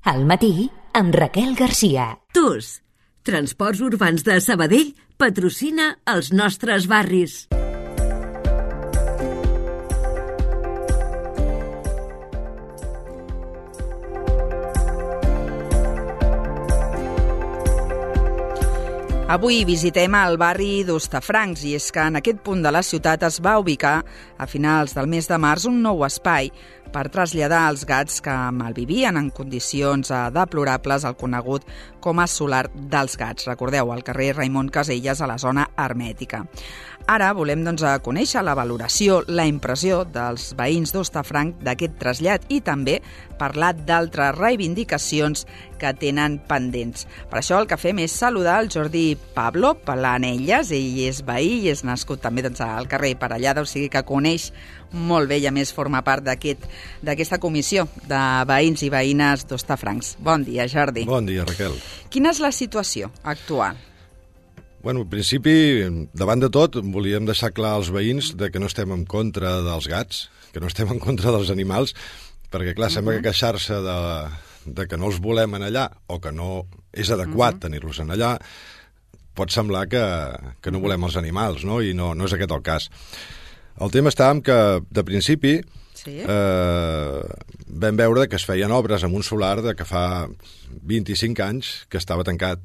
Al matí, amb Raquel Garcia. TUS, Transports Urbans de Sabadell, patrocina els nostres barris. Avui visitem el barri d'Hostafrancs i és que en aquest punt de la ciutat es va ubicar a finals del mes de març un nou espai per traslladar els gats que malvivien en condicions deplorables al conegut com a solar dels gats. Recordeu, al carrer Raimon Casellas, a la zona hermètica. Ara volem conèixer la valoració, la impressió dels veïns d'Hostafrancs d'aquest trasllat i també parlar d'altres reivindicacions que tenen pendents. Per això el que fem és saludar el Jordi Pablo Planelles. Ell és veí i és nascut també al carrer Parellada, o sigui que coneix molt bé i a més forma part d'aquesta comissió de veïns i veïnes d'Hostafrancs. Bon dia, Jordi. Bon dia, Raquel. Quina és la situació actual? Bueno, en principi, davant de tot, volíem deixar clar als veïns de que no estem en contra dels gats, que no estem en contra dels animals, perquè, clar, sembla que queixar-se de que no els volem en allà o que no és adequat tenir-los en allà pot semblar que no volem els animals, no? I no és aquest el cas. El tema està en que, de principi, vam veure que es feien obres en un solar que fa 25 anys que estava tancat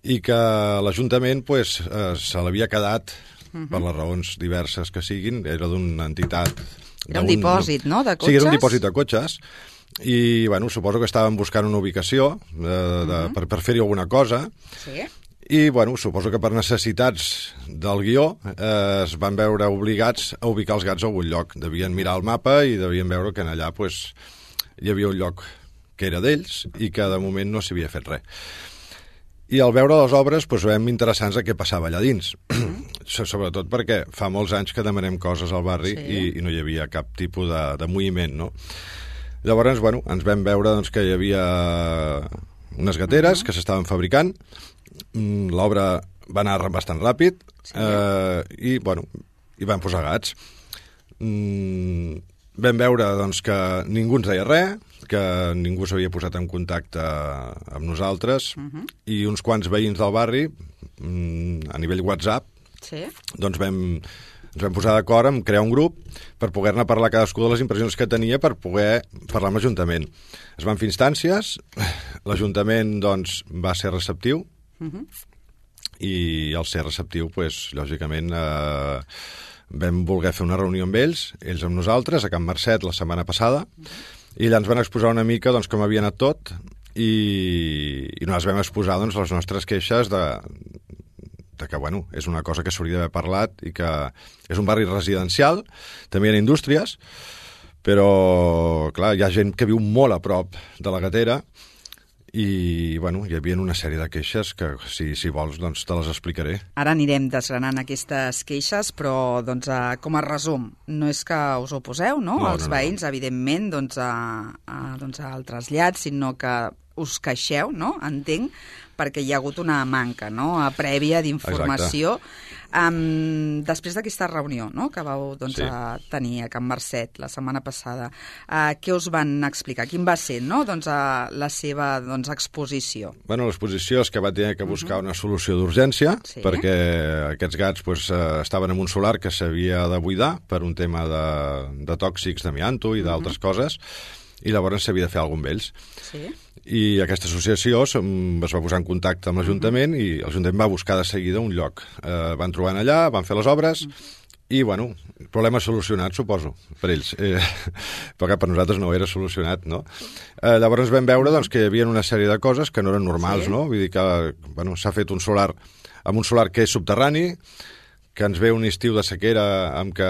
i que l'Ajuntament se l'havia quedat, per les raons diverses que siguin, era d'una entitat... Era un dipòsit, no?, de cotxes? Sí, era un dipòsit de cotxes, i bueno, suposo que estaven buscant una ubicació per fer-hi alguna cosa, i bueno, suposo que per necessitats del guió es van veure obligats a ubicar els gats a algun lloc. Devien mirar el mapa i devien veure que en allà hi havia un lloc que era d'ells i que de moment no s'hi havia fet res. I al veure les obres vam interessar-nos a què passava allà dins. Sobretot perquè fa molts anys que demanem coses al barri i no hi havia cap tipus de moviment, no? Llavors, bueno, ens vam veure que hi havia unes gateres que s'estaven fabricant, l'obra va anar bastant ràpid i, bueno, hi van posar gats. Vam veure que ningú ens deia res, que ningú s'havia posat en contacte amb nosaltres i uns quants veïns del barri, a nivell WhatsApp, ens vam posar d'acord en crear un grup per poder-ne parlar cadascú de les impressions que tenia per poder parlar amb l'Ajuntament. Es van fer instàncies, l'Ajuntament va ser receptiu i al ser receptiu, lògicament, vam voler fer una reunió amb ells amb nosaltres, a Can Marcet la setmana passada, i allà ens van exposar una mica com havia anat tot i nosaltres vam exposar les nostres queixes de que, bueno, és una cosa que s'hauria d'haver parlat i que és un barri residencial, també hi ha indústries, però, clar, hi ha gent que viu molt a prop de la gatera i, bueno, hi havia una sèrie de queixes que, si vols, te les explicaré. Ara anirem desgranant aquestes queixes, però, com a resum, no és que us oposeu, no? Els veïns, evidentment, al trasllat, sinó que us queixeu, no? Entenc, perquè hi ha hagut una manca, no?, prèvia d'informació. Després d'aquesta reunió, no?, que vau tenir a Can Marcet la setmana passada, què us van explicar? Quin va ser, no?, la seva exposició? Bueno, l'exposició és que va tenir que buscar una solució d'urgència, perquè aquests gats estaven en un solar que s'havia de buidar per un tema de tòxics d'amianto i d'altres coses, i llavors s'havia de fer alguna cosa amb ells. I aquesta associació es va posar en contacte amb l'Ajuntament i l'Ajuntament va buscar de seguida un lloc. Van trobar allà, van fer les obres i, bueno, problema solucionat, suposo, per ells. Però que per nosaltres no era solucionat, no? Llavors vam veure que hi havia una sèrie de coses que no eren normals, no? Vull dir que, bueno, s'ha fet un solar amb un solar que és subterrani, que ens ve un estiu de sequera amb què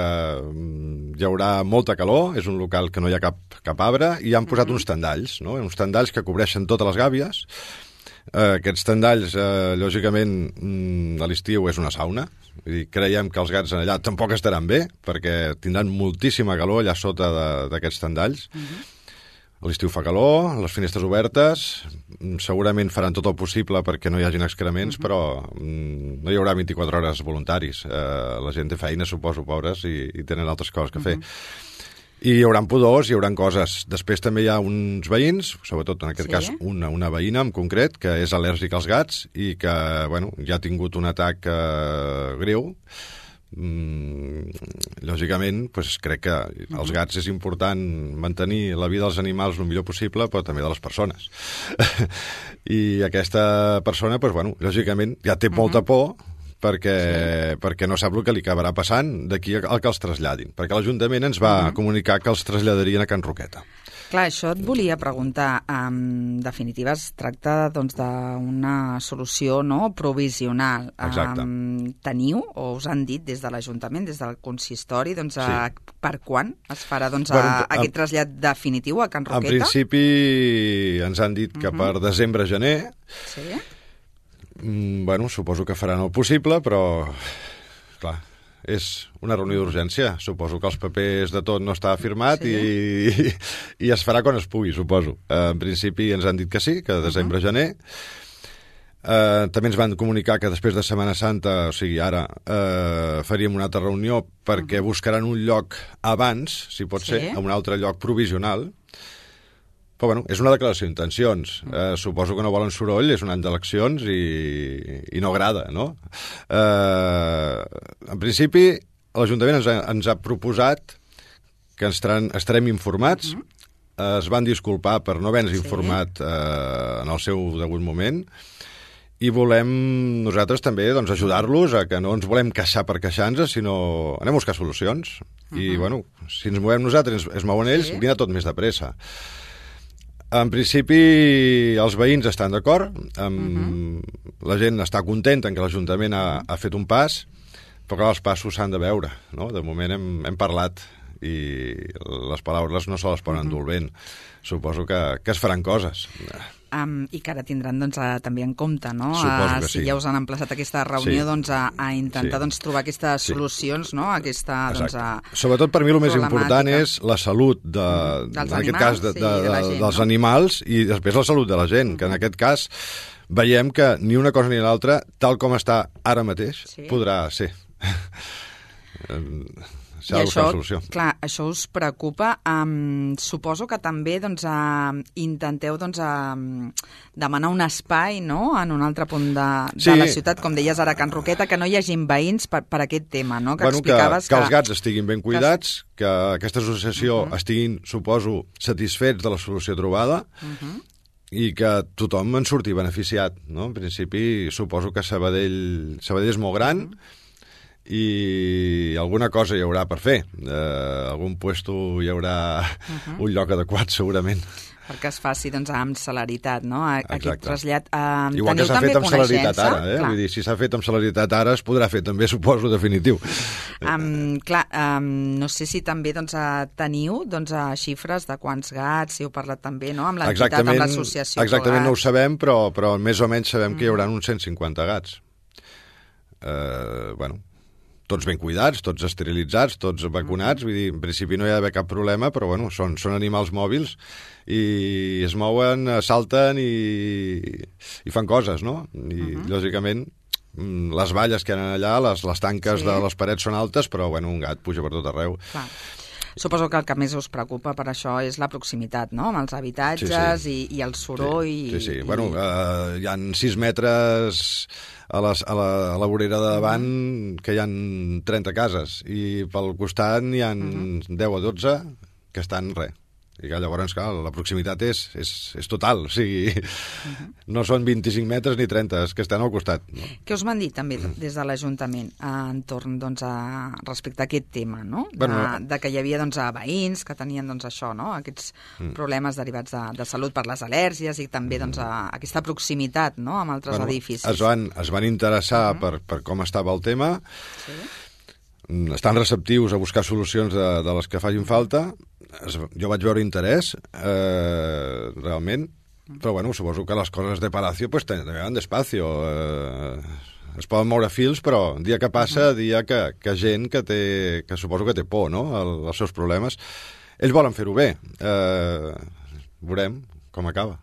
hi haurà molta calor, és un local que no hi ha cap arbre, i han posat uns tendalls, no? Uns tendalls que cobreixen totes les gàbies. Aquests tendalls, lògicament, a l'estiu és una sauna. Vull dir, creiem que els gats allà tampoc estaran bé, perquè tindran moltíssima calor allà sota d'aquests tendalls. A l'estiu fa calor, les finestres obertes, segurament faran tot el possible perquè no hi hagin excrements, però no hi haurà 24 hores voluntaris. La gent té feina, suposo, pobres, i tenen altres coses que fer. I hi haurà pudors, hi haurà coses. Després també hi ha uns veïns, sobretot en aquest cas una veïna en concret, que és al·lèrgica als gats i que ja ha tingut un atac greu. Lògicament, crec que els gats és important mantenir la vida dels animals el millor possible, però també de les persones. I aquesta persona, lògicament, ja té molta por perquè no sap el que li acabarà passant d'aquí al que els traslladin. Perquè l'Ajuntament ens va comunicar que els traslladarien a Can Roqueta. Clar, això et volia preguntar. En definitiva, es tracta d'una solució provisional. Exacte. Teniu, o us han dit des de l'Ajuntament, des del consistori, per quan es farà aquest trasllat definitiu a Can Roqueta? En principi ens han dit que per desembre-gener. Sí. Suposo que faran el possible, però, clar, és una reunió d'urgència. Suposo que els papers de tot no està firmat i es farà quan es pugui, suposo. En principi ens han dit que sí, que desembre-gener. També ens van comunicar que després de Setmana Santa, o sigui, ara, faríem una altra reunió perquè buscaran un lloc abans, si pot ser, en un altre lloc provisional. Però, és una declaració d'intencions. Suposo que no volen soroll, és un any d'eleccions i no agrada, no? En principi, l'Ajuntament ens ha proposat que estarem informats. Es van disculpar per no haver-nos informat en el seu degut moment i volem nosaltres també ajudar-los a que no ens volem queixar per queixar-nos, sinó anem a buscar solucions. I, si ens movem nosaltres, es mouen ells, vine tot més de pressa. En principi, els veïns estan d'acord, la gent està contenta que l'Ajuntament ha fet un pas, però clar, els passos s'han de veure, no? De moment hem parlat i les paraules no se les poden endur el vent. Suposo que es faran coses. I que ara tindran també en compte, no? Suposo que sí. Si ja us han emplaçat a aquesta reunió, a intentar trobar aquestes solucions, no? Sobretot per mi el més important és la salut, en aquest cas, dels animals i després la salut de la gent, que en aquest cas veiem que ni una cosa ni l'altra, tal com està ara mateix, podrà ser. I això, clar, això us preocupa. Suposo que també intenteu demanar un espai, no?, en un altre punt de la ciutat, com deies ara a Can Roqueta, que no hi hagin veïns per aquest tema, no?, que explicaves que els gats estiguin ben cuidats, que aquesta associació estiguin, suposo, satisfets de la solució trobada, i que tothom en surti beneficiat, no? En principi, suposo que Sabadell és molt gran, i alguna cosa hi haurà per fer. Algun puesto hi haurà un lloc adequat, segurament. Perquè es faci amb celeritat, no?, aquest trasllat. Igual que s'ha fet amb celeritat ara, vull dir, si s'ha fet amb celeritat ara, es podrà fer també, suposo, definitiu. Clar, no sé si també teniu xifres de quants gats, si heu parlat també, no?, amb l'entitat, amb l'associació. Exactament no ho sabem, però més o menys sabem que hi haurà uns 150 gats. Tots ben cuidats, tots esterilitzats, tots vacunats, vull dir, en principi no hi ha d'haver cap problema, però són animals mòbils i es mouen, salten i fan coses, no? I, lògicament, les valles que hi ha allà, les tanques de les parets són altes, però, un gat puja per tot arreu. Clar. Suposo que el que més us preocupa per això és la proximitat, no?, amb els habitatges i el soroll. Sí. Hi ha 6 metres a la vorera de davant que hi ha 30 cases i pel costat n'hi ha 10 o 12 que estan I que llavors, clar, la proximitat és total, o sigui, no són 25 metres ni 30, és que estan al costat. No? Què us van dir també des de l'Ajuntament entorn respecte a aquest tema, no? De que hi havia veïns que tenien això, no? Aquests problemes derivats de salut per les al·lèrgies i també aquesta proximitat, no?, amb altres edificis. Es van interessar per com estava el tema, estan receptius a buscar solucions de les que facin falta. Jo vaig veure interès, realment, però suposo que les coses de Palacio van despacio. Es poden moure fils, però dia que passa, dia que gent que suposo que té por, no?, als seus problemes, ells volen fer-ho bé. Veurem com acaba.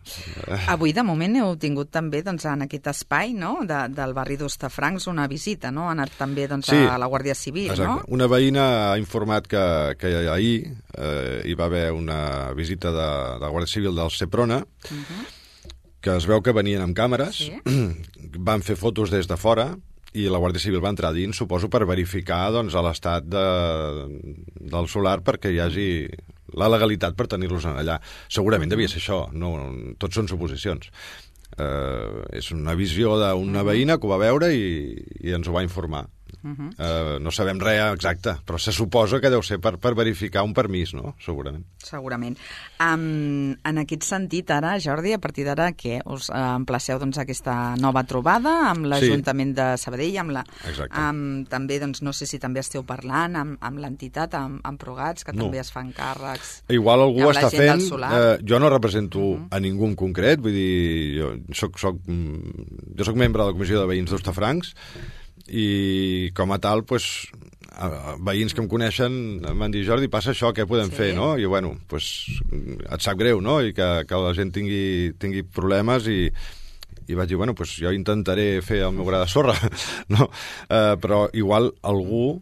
Avui, de moment, heu tingut també en aquest espai, no?, del barri d'Hostafrancs una visita, no? Ha anat també a la Guàrdia Civil, exacte. No? Una veïna ha informat que ahir hi va haver una visita de la Guàrdia Civil del Seprona, que es veu que venien amb càmeres, van fer fotos des de fora, i la Guàrdia Civil va entrar dins, suposo, per verificar l'estat del solar perquè hi hagi la legalitat per tenir-los allà. Segurament devia ser això, no, tots són suposicions. És una visió d'una veïna que ho va veure i ens ho va informar. No sabem res exacte, però se suposa que deu ser per verificar un permís, no? Segurament. Segurament. En aquest sentit, ara, Jordi, a partir d'ara, què? Us emplaceu aquesta nova trobada amb l'Ajuntament de Sabadell, també, no sé si també esteu parlant amb l'entitat, amb Progats, que també es fan càrrecs. Igual algú està fent... Jo no represento a ningú en concret, vull dir, jo soc membre de la Comissió de Veïns d'Hostafrancs, i com a tal, veïns que em coneixen m'han dit, Jordi, passa això, què podem fer, no? I bueno, et sap greu, no? I que la gent tingui problemes i vaig dir, bueno, jo intentaré fer el meu gra de sorra, no? Però igual algú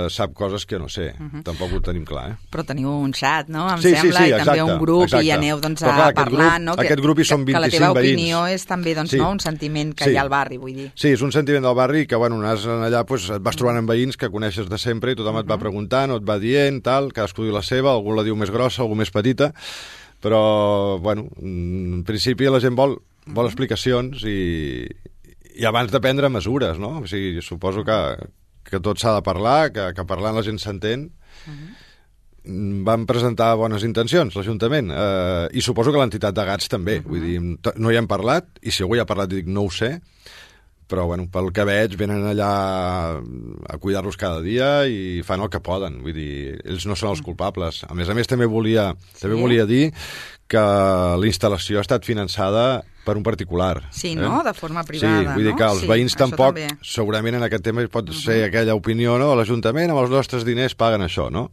sap coses que no sé, tampoc ho tenim clar, Però teniu un xat, no? Em sembla, i també un grup, i aneu parlant, no? Aquest grup hi són 25 veïns. Que la teva opinió és també, un sentiment que hi ha al barri, vull dir. Sí, és un sentiment del barri que, bueno, anàs allà, et vas trobant amb veïns que coneixes de sempre i tothom et va preguntant o et va dient, tal, cadascú diu la seva, algú la diu més grossa, algú més petita, però, bueno, en principi la gent vol explicacions i abans de prendre mesures, no? O sigui, suposo que tot s'ha de parlar, que parlant la gent s'entén. Van presentar bones intencions, l'Ajuntament, i suposo que l'entitat de gats també. Vull dir, no hi hem parlat, i si algú hi ha parlat dic no ho sé, però bueno, pel que veig venen allà a cuidar-los cada dia i fan el que poden, vull dir, ells no són els culpables. A més, també volia dir que la instal·lació ha estat finançada per un particular. Sí, no? De forma privada, no? Sí, vull dir que els veïns tampoc, segurament en aquest tema pot ser aquella opinió, no? L'Ajuntament amb els nostres diners paguen això, no?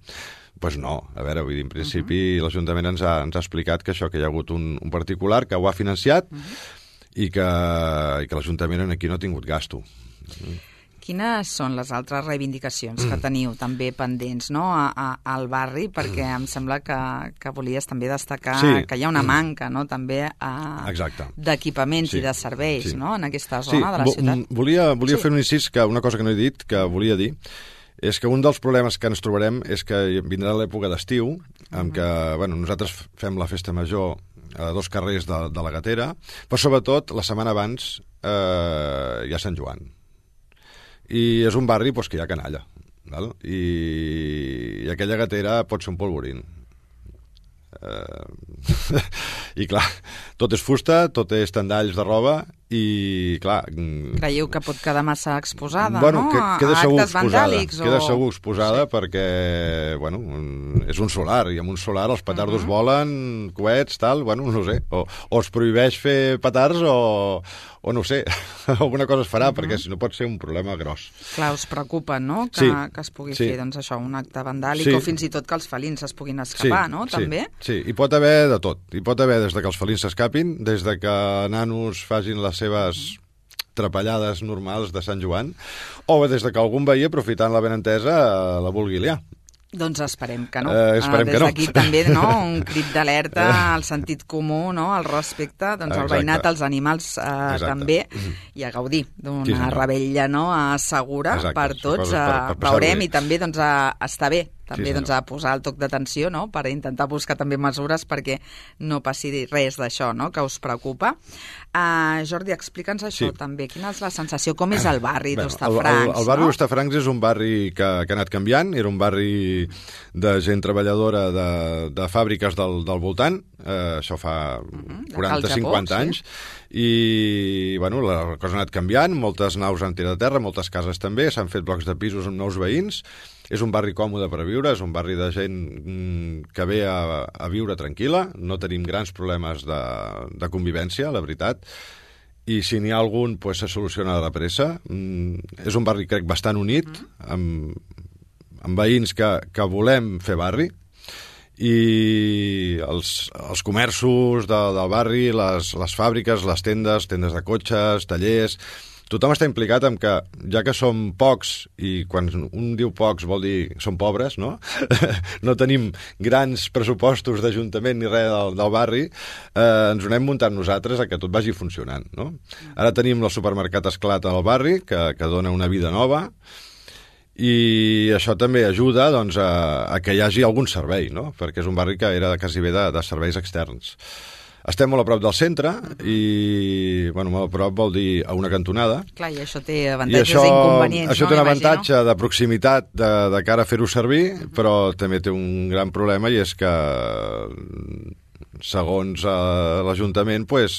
Doncs no, a veure, vull dir, en principi l'Ajuntament ens ha explicat que això, que hi ha hagut un particular que ho ha financiat i que l'Ajuntament aquí no ha tingut gasto. Quines són les altres reivindicacions que teniu també pendents, no?, al barri? Perquè em sembla que volies també destacar que hi ha una manca, no?, també d'equipaments i de serveis, no?, en aquesta zona de la ciutat. Volia fer un incís, que una cosa que no he dit, que volia dir, és que un dels problemes que ens trobarem és que vindrà l'època d'estiu, en què, bueno, nosaltres fem la festa major a 2 carrers de la Gatera, però sobretot la setmana abans hi ha Sant Joan. I és un barri que hi ha canalla, val? I aquella gatera pot ser un polvorín. I clar, tot és fusta, tot és tendalls de roba i clar... Creieu que pot quedar massa exposada, bueno, no? Queda a actes vandàlics? Queda segur exposada perquè, bueno, és un solar i amb un solar els petardos volen, coets, tal, bueno, no sé, o es prohibeix fer petards o no sé, alguna cosa es farà, perquè si no pot ser un problema gros. Clar, us preocupa, no?, que es pugui fer, doncs això, un acte vandàlic, o fins i tot que els felins es puguin escapar, no?, també? Sí, hi pot haver de tot. Hi pot haver des de que els felins s'escapin, des de que nanos facin les seves trapallades normals de Sant Joan, o des de que algun veí, aprofitant la benentesa, la vulgui liar. Doncs esperem que no. Des d'aquí també, no?, un crit d'alerta al sentit comú, no?, al respecte, doncs al veïnat, als animals també, i a gaudir d'una revetlla, no?, segura per tots. Veurem i també doncs a estar bé, també doncs a posar el toc d'atenció, no?, per intentar buscar també mesures perquè no passi res d'això, no?, que us preocupa. Jordi, explica'ns això també. Quina és la sensació? Com és el barri d'Hostafrancs? El barri d'Hostafrancs és un barri que ha anat canviant. Era un barri de gent treballadora de fàbriques del voltant. Això fa 40-50 anys. I, bueno, la cosa ha anat canviant. Moltes naus han tirat a terra, moltes cases també. S'han fet blocs de pisos amb nous veïns. És un barri còmode per viure, és un barri de gent que ve a viure tranquil·la, no tenim grans problemes de convivència, la veritat, i si n'hi ha algun, pues, se soluciona de pressa. És un barri, crec, bastant unit, amb veïns que volem fer barri, i els comerços del barri, les fàbriques, les tendes de cotxes, tallers... Tothom està implicat en que, ja que som pocs, i quan un diu pocs vol dir som pobres, no? No tenim grans pressupostos d'Ajuntament ni res del barri, ens ho anem muntant nosaltres a que tot vagi funcionant, no? Ara tenim el supermercat Esclat al barri, que dona una vida nova, i això també ajuda doncs, a que hi hagi algun servei, no? Perquè és un barri que era quasi bé de serveis externs. Estem molt a prop del centre i, bueno, molt a prop vol dir a una cantonada. Clar, i això té avantatges i inconvenients, això té un avantatge de proximitat de cara a fer-ho servir, però també té un gran problema i és que, segons l'Ajuntament, pues,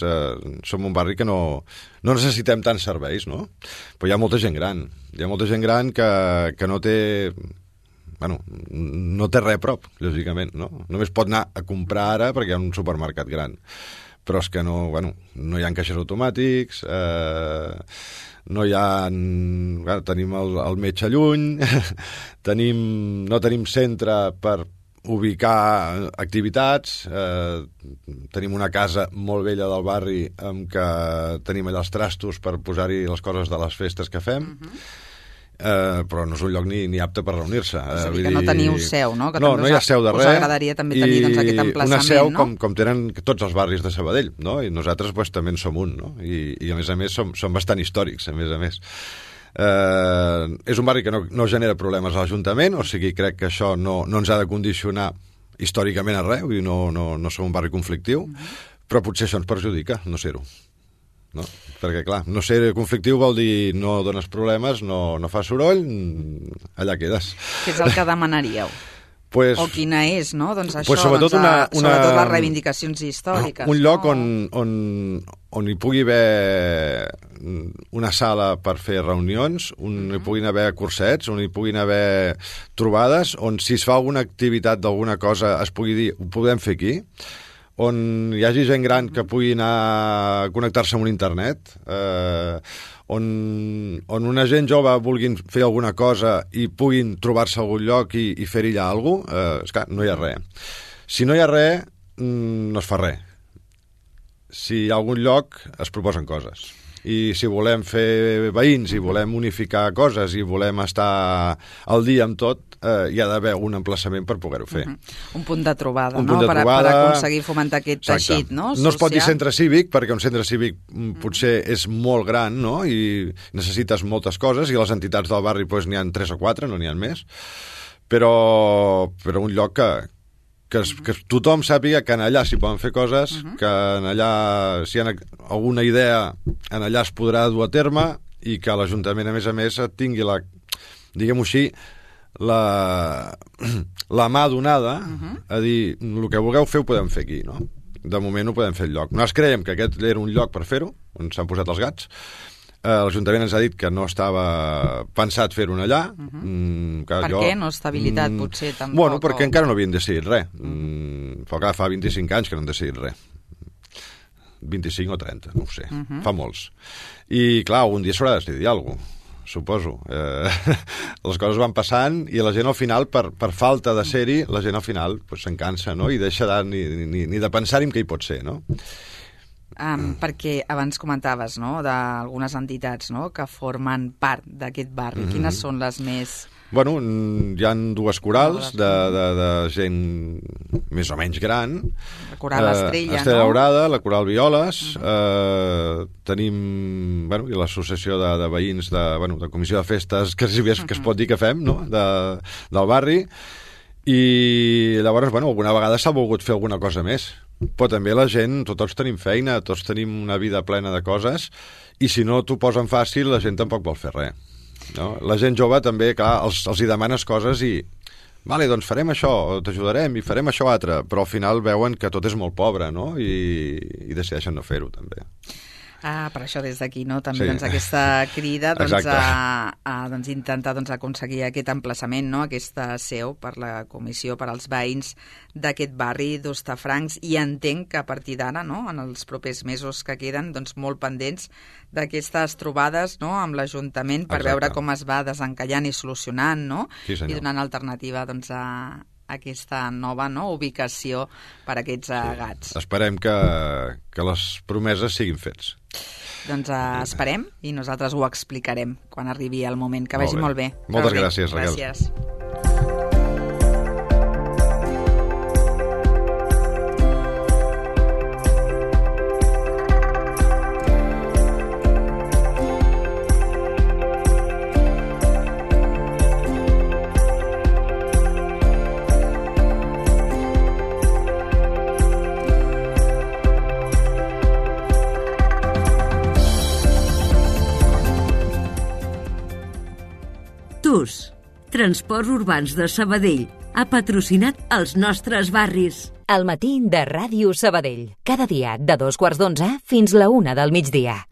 som un barri que no necessitem tants serveis, no? Però hi ha molta gent gran. Hi ha molta gent gran que no té... Bueno, no té res a prop, lògicament, no? Només pot anar a comprar ara perquè hi ha un supermercat gran. Però és que no hi ha caixers automàtics, no hi ha... tenim el metge lluny, no tenim centre per ubicar activitats, tenim una casa molt vella del barri amb què tenim allà els trastos per posar-hi les coses de les festes que fem, però no és un lloc ni apte per reunir-se. És a dir, que no teniu seu, no? Que no hi ha seu de res. Us agradaria també tenir doncs, aquest emplaçament, una seu no? com tenen tots els barris de Sabadell, no? I nosaltres pues, també en som un, no? I a més som bastant històrics, a més. És un barri que no genera problemes a l'Ajuntament, o sigui, crec que això no ens ha de condicionar històricament a res, i no som un barri conflictiu, però potser això ens perjudica, no ser-ho. No? Perquè, clar, no ser conflictiu vol dir no dones problemes, no fa soroll, allà quedes. Què és el que demanaríeu? Pues, o quina és, no? Doncs això, pues sobretot, sobretot les reivindicacions històriques. Un lloc on hi pugui haver una sala per fer reunions, on hi puguin haver cursets, on hi puguin haver trobades, on si es fa alguna activitat d'alguna cosa es pugui dir, ho podem fer aquí, on hi hagi gent gran que pugui anar a connectar-se amb un internet, on una gent jove vulguin fer alguna cosa i puguin trobar-se a algun lloc i fer-hi allà alguna cosa, és clar, no hi ha res. Si no hi ha res, no es fa res. Si hi ha algun lloc, es proposen coses. I si volem fer veïns, i volem unificar coses, i volem estar al dia amb tot, hi ha d'haver un emplaçament per poder-ho fer. Un punt de trobada, no? Per aconseguir fomentar aquest teixit, no? No es pot dir centre cívic, perquè un centre cívic potser és molt gran, no? I necessites moltes coses, i les entitats del barri pues, n'hi ha 3 o 4, no n'hi ha més. Però un lloc que tothom sàpiga que en allà s'hi poden fer coses, que en allà, si hi ha alguna idea, en allà es podrà dur a terme, i que l'Ajuntament, a més, tingui la, diguem-ho així, la mà donada a dir, el que vulgueu fer ho podem fer aquí, no? De moment ho podem fer al lloc. Nosaltres creiem que aquest era un lloc per fer-ho, on s'han posat els gats. L'Ajuntament ens ha dit que no estava pensat fer-ho allà. Per què? No estabilitat, potser, tampoc? Bueno, perquè encara no havien decidit res. Fa 25 anys que no han decidit res. 25 o 30, no ho sé. Fa molts. I, clar, un dia s'haurà de decidir alguna cosa, suposo. Les coses van passant i la gent al final, per falta de ser-hi, la gent al final se'n cansa, no? I deixa ni de pensar-hi què hi pot ser, no? Perquè abans comentaves, no?, d'algunes entitats, no?, que formen part d'aquest barri. Quines són les més... Bueno, hi ha 2 corals de gent més o menys gran. La Coral Estrella, Estrella Daurada, la Coral Violes, tenim l'associació de veïns de comissió de festes, que es pot dir que fem, no?, del barri, i llavors, alguna vegada s'ha volgut fer alguna cosa més. Però també la gent, tots tenim feina, tots tenim una vida plena de coses, i si no t'ho posen fàcil, la gent tampoc vol fer res. No? La gent jove també, clar, els hi demanes coses i vale, doncs farem això, t'ajudarem i farem això altre, però al final veuen que tot és molt pobre, no? I decideixen no fer-ho també. Per això des d'aquí, no? També aquesta crida a intentar aconseguir aquest emplaçament, no? Aquesta seu per la comissió, per als veïns d'aquest barri d'Hostafrancs, i entenc que a partir d'ara, no?, en els propers mesos que queden, molt pendents d'aquestes trobades, no?, amb l'Ajuntament per veure com es va desencallant i solucionant, no? Sí, i donant alternativa a aquesta nova ubicació per a aquests gats. Esperem que les promeses siguin fets. Doncs esperem i nosaltres ho explicarem quan arribi el moment. Que vagi molt bé. Moltes gràcies, Raquel. Gràcies. TUS, Transports Urbans de Sabadell, ha patrocinat els nostres barris. El matí de Ràdio Sabadell. Cada dia de 2:15 fins la 1 del migdia.